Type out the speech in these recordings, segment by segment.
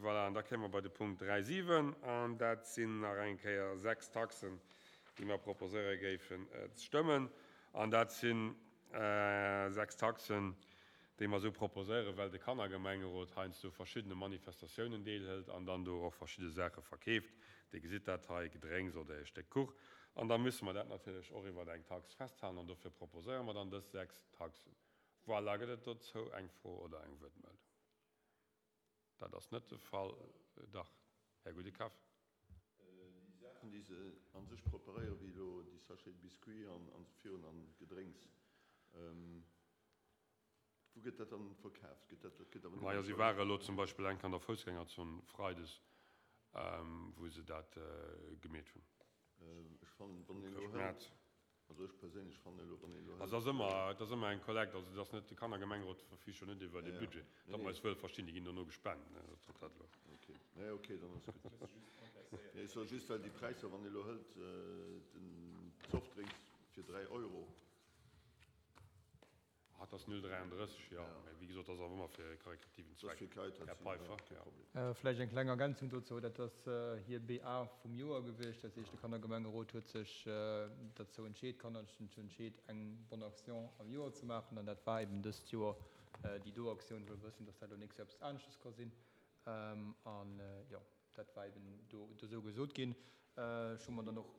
Voilà, an da kéime mer bei de Punkt 3,7, an dat sinn nach eng Kéier 6 Taxen, déi mer proposéiere géifen ze stëmmen. An dat si 6 Taxen, déi mer esou proposéieren, well de Kannergemengerot heiansdo verschiddene Manifestatiounen deelhëlt an dann do och verschidde Saache verkeeft. Dir gesitt dat hei, Gedrénks oder e Stéck Kuch. An da musse mer dat natierlech och iwwer eng Tax festhalen an dofir proposéiere mer dann dës 6 Taxen. Voilà, gëtt et dozou eng Fro oder eng Wuertmeldung? Dat ass net de Fall. Dach, Här Gudekaff. Déi Saachen, déi se a sech preparéieren, wéi elo déi Sachets de biscuits an esou virun an Gedrénks, wou gëtt dat dann verkaaft? Gëtt dat, dat gëtt awer net. Majo, si ware elo zum Beispill eng Kéier an der Foussgängerzon freides, wou se dat gemeet hunn. Ech fannen, wann een elo hëlt. Also ech perséinlech fannen elo, wann een elo hëlt. Also et ass ëmmer, et ass ëmmer eng Kollekt, also et ass net, de Kannergemengerot verfüügt jo net iwwer e Budget, datt mer eis wëll verstinn, déi ginn dono gespent, ne, dat ass dat elo. Ok, nee, ok, dann ass gutt. Nee, ech soe just, well déi Präisser, wann ee elo hëlt den Softdrinks fir 3 Euro. Ah, et ass 0,33, jo. Mä wéi gesot, dat ass awer ëmmer fir e karikativen Zweck, Här Peiffer. Jo. Vläicht eng kleng Ergänzung dozou, Dat ass hir BA vum Joer gewiescht. Dat heescht, de Kannergemengerot huet sech derzou entscheet, d'Kanner hunn sech entscheet, eng Bonne Action am Joer ze maachen. An dat war eben dëst Joer déi do Aktioun, wëll wëssen, dass dat elo nächst Joer eppes aneschtes ka sinn. An jo, dat war eben do esou gesot ginn. Ech hu mer dann och,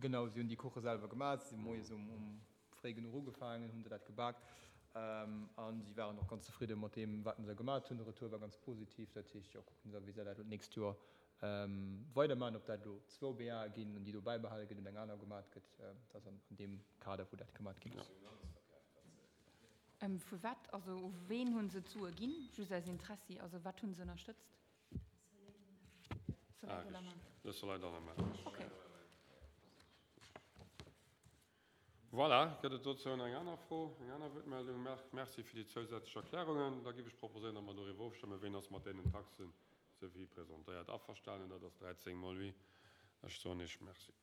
genau, si hunn déi Kuche selwer gemaach, si si moies um fréi genuch ugefaangen, hunn se dat gebak a si waren och ganz zefridde mat deem, wat se gemat hunn. De Retour war ganz positiv. Dat heescht, jo, kucken se, wéi se dat elo d'nächst Joer weidermaachen. Ob dat elo zwou BAe ginn an déi do bäibehale gëtt oder eng aner gemat gëtt, dat ass an deem Kader, wou dat gemat ginn ass. Vu wat, also u ween hunn se d'Sue ginn? Just aus Interessi, also wat hunn se ënnerstëtzt? Soleil de la Main. Le Soleil dans la Main. Okay. Voilà, gëtt et dozou eng aner Fro, eng aner Wuertmeldung? Marc, Merci fir déi zousätzlech Erklärungen. Da géif ech proposéieren, datt mer doriwwer ofstëmmen. Ween ass mat deenen Taxen, sou wéi presentéiert, averstanen? Dat ass 13 mol oui. Ech soen Iech Merci.